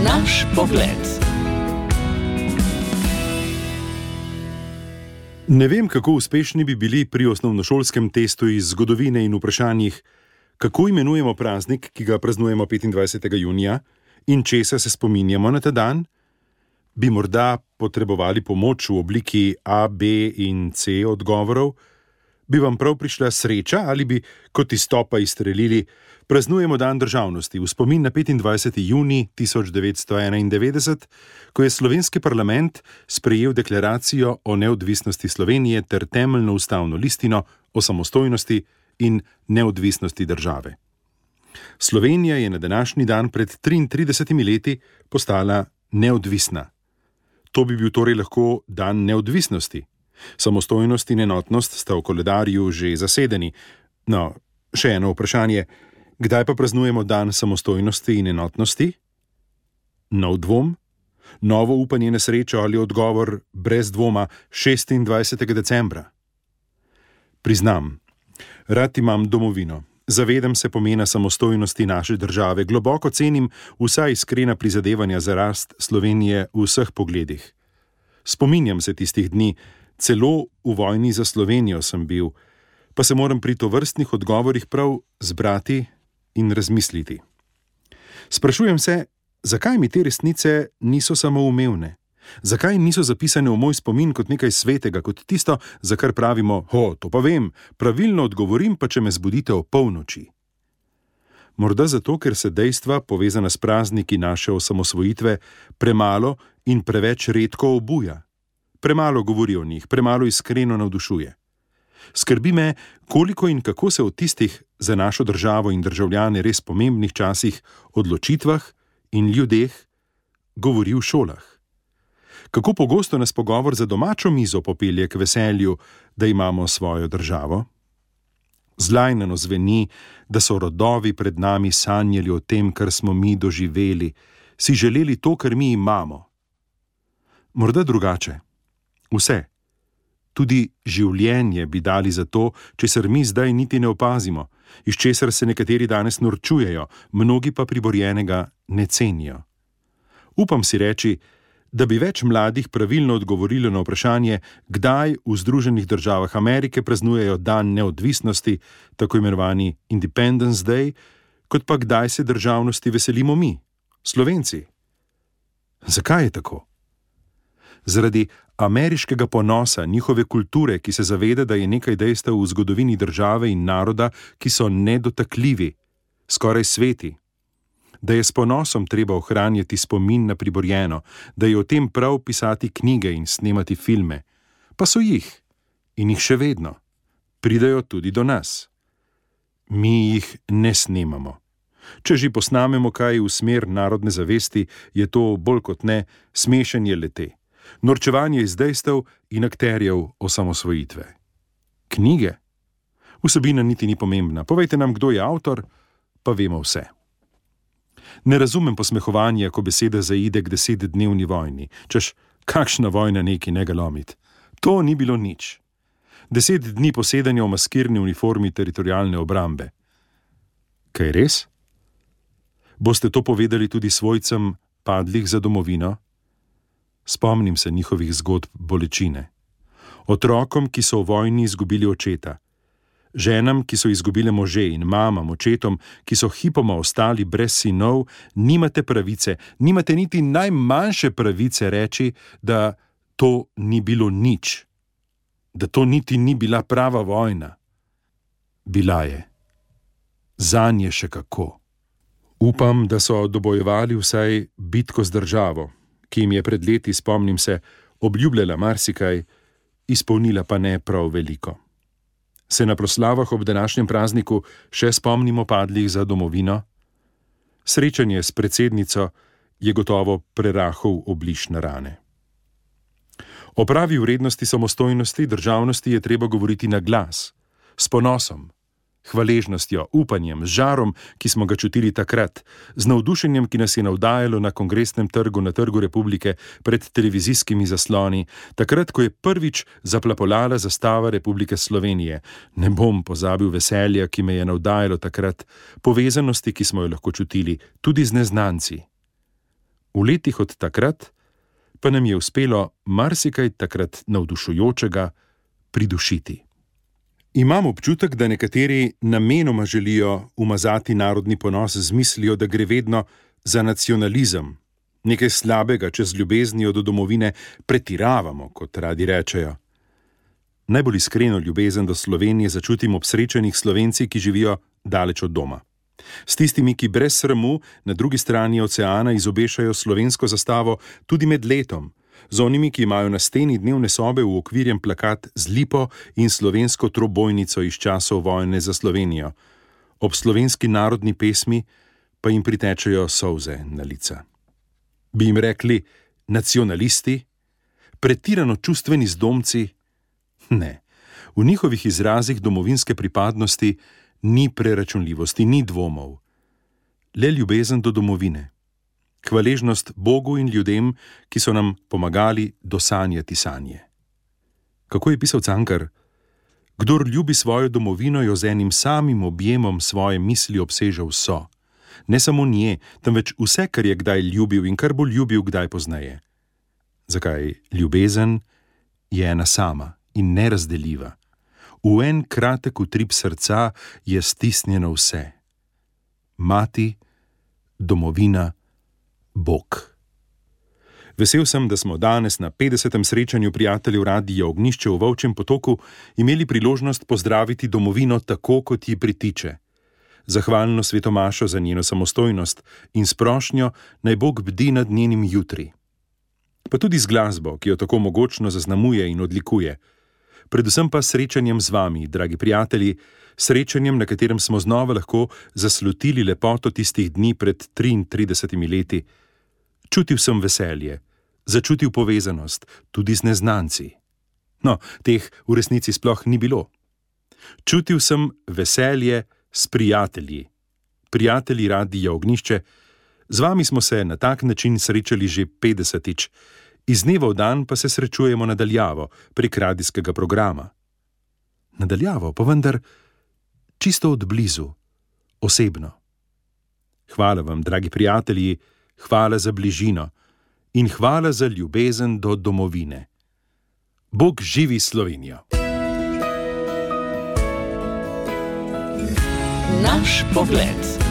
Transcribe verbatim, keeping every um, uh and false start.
Naš pogled. Ne vem, kako uspešni bi bili pri osnovnošolskem testu iz zgodovine in vprašanjih, kako imenujemo praznik, ki ga praznujemo petindvajsetega junija, in česa se spominjamo na ta dan. Bi morda potrebovali pomoč v obliki A, B in C odgovorov? Bi vam prav prišla sreča ali bi kot iz topa izstrelili: praznujemo dan državnosti v spomin na petindvajseti junij tisoč devetsto enaindevetdeset, ko je slovenski parlament sprejel deklaracijo o neodvisnosti Slovenije ter temeljno ustavno listino o samostojnosti in neodvisnosti države. Slovenija je na današnji dan pred triintridesetimi leti postala neodvisna. To bi bil torej lahko dan neodvisnosti. Samostojnost in enotnost sta v koledarju že zasedeni. No, še eno vprašanje: kdaj pa praznujemo dan samostojnosti in enotnosti? Nov dvom? Novo upanje na srečo ali odgovor brez dvoma šestindvajsetega decembra? Priznam, rad imam domovino. Zavedam se pomena samostojnosti naše države, globoko cenim vsa iskrena prizadevanja za rast Slovenije v vseh pogledih. Spominjam se tistih dni, celo v vojni za Slovenijo sem bil, pa se moram pri tovrstnih odgovorih prav zbrati in razmisliti. Sprašujem se, zakaj mi te resnice niso samoumevne? Zakaj niso zapisane v moj spomin kot nekaj svetega, kot tisto, za kar pravimo: ho, to pa vem, pravilno odgovorim, pa če me zbudite o polnoči? Morda zato, ker se dejstva, povezana s prazniki naše osamosvojitve, premalo in preveč redko obuja. Premalo govori o njih, premalo iskreno navdušuje. Skrbi me, koliko in kako se o tistih za našo državo in državljane res pomembnih časih, odločitvah in ljudeh govori v šolah. Kako pogosto nas pogovor za domačo mizo popelje k veselju, da imamo svojo državo? Zlajnano zveni, da so rodovi pred nami sanjali o tem, kar smo mi doživeli, si želeli to, kar mi imamo. Morda drugače. Vse. Tudi življenje bi dali za to, česar mi zdaj niti ne opazimo, iz česar se nekateri danes norčujejo, mnogi pa priborjenega ne cenijo. Upam si reči, da bi več mladih pravilno odgovorilo na vprašanje, kdaj v Združenih državah Amerike praznujejo dan neodvisnosti, tako imenovani Independence Day, kot pa kdaj se državnosti veselimo mi, Slovenci. Zakaj je tako? Zaradi ameriškega ponosa, njihove kulture, ki se zaveda, da je nekaj dejstev v zgodovini države in naroda, ki so nedotakljivi, skoraj sveti. Da je s ponosom treba ohranjati spomin na priborjeno, da je o tem prav pisati knjige in snemati filme. Pa so jih. In jih še vedno. Pridajo tudi do nas. Mi jih ne snemamo. Če že posnamemo kaj v smer narodne zavesti, je to bolj kot ne smešenje le-te. Norčevanje iz dejstev in akterjev osamosvojitve. Knjige? Vsebina niti ni pomembna. Povejte nam, kdo je avtor, pa vemo vse. Ne razumem posmehovanja, ko beseda zaide k desetdnevni vojni. Češ, kakšna vojna neki ne ga lomit. To ni bilo nič. Deset dni posedanja v maskirni uniformi teritorialne obrambe. Kaj res? Boste to povedali tudi svojcem padlih za domovino? Spomnim se njihovih zgodb bolečine. Otrokom, ki so v vojni izgubili očeta. Ženam, ki so izgubile može, in mamam, očetom, ki so hipoma ostali brez sinov, nimate pravice, nimate niti najmanjše pravice reči, da to ni bilo nič. Da to niti ni bila prava vojna. Bila je. Zanje še kako. Upam, da so dobojevali vsaj bitko z državo, ki jim je pred leti, spomnim se, obljubljala marsikaj, izpolnila pa ne prav veliko. Se na proslavah ob današnjem prazniku še spomnimo padlih za domovino? Srečanje s predsednico je gotovo prerahal obliž na rane. O pravi vrednosti samostojnosti državnosti je treba govoriti na glas, s ponosom, hvaležnostjo, upanjem, z žarom, ki smo ga čutili takrat, z navdušenjem, ki nas je navdajalo na Kongresnem trgu na Trgu Republike pred televizijskimi zasloni, takrat, ko je prvič zaplapolala zastava Republike Slovenije. Ne bom pozabil veselja, ki me je navdajalo takrat, povezanosti, ki smo jo lahko čutili, tudi z neznanci. V letih od takrat pa nam je uspelo marsikaj takrat navdušujočega pridušiti. Imam občutek, da nekateri namenoma želijo umazati narodni ponos z mislijo, da gre vedno za nacionalizem, nekaj slabega, če z ljubeznijo do domovine pretiravamo, kot radi rečejo. Najbolj iskreno ljubezen do Slovenije začutim ob srečanjih Slovenci, ki živijo daleč od doma. S tistimi, ki brez sramu na drugi strani oceana izobešajo slovensko zastavo tudi med letom, z onimi, ki imajo na steni dnevne sobe uokvirjen plakat z lipo in slovensko trobojnico iz časov vojne za Slovenijo. Ob slovenski narodni pesmi pa jim pritečejo solze na lica. Bi jim rekli nacionalisti? Pretirano čustveni zdomci? Ne, v njihovih izrazih domovinske pripadnosti ni preračunljivosti, ni dvomov. Le ljubezen do domovine. Hvaležnost Bogu in ljudem, ki so nam pomagali dosanjati sanje. Kako je pisal Cankar? Kdor ljubi svojo domovino, jo z enim samim objemom svoje misli obseže vso. Ne samo nje, temveč vse, kar je kdaj ljubil in kar bo ljubil kdaj pozneje. Zakaj? Ljubezen je ena sama in nerazdeljiva. V en kratek utrip srca je stisnjeno vse. Mati, domovina, Bog. Vesel sem, da smo danes na petdesetem srečanju prijateljev Radia Ognjišče v Volčjem Potoku imeli priložnost pozdraviti domovino tako, kot ji pritiče. Zahvalno svetomašo za njeno samostojnost in s prošnjo, naj Bog bdi nad njenim jutri. Pa tudi z glasbo, ki jo tako mogočno zaznamuje in odlikuje. Predvsem pa srečanjem z vami, dragi prijatelji, srečanjem, na katerem smo znova lahko zaslutili lepoto tistih dni pred triintridesetimi leti. Čutil sem veselje, začutil povezanost, tudi z neznanci. No, teh v resnici sploh ni bilo. Čutil sem veselje s prijatelji. Prijatelji Radia Ognjišče, z vami smo se na tak način srečali že petdesetič, iz dneva v dan pa se srečujemo nadaljavo prek radijskega programa. Nadaljavo pa vendar čisto od blizu, osebno. Hvala vam, dragi prijatelji, hvala za bližino in hvala za ljubezen do domovine. Bog živi Slovenijo! Naš pogled.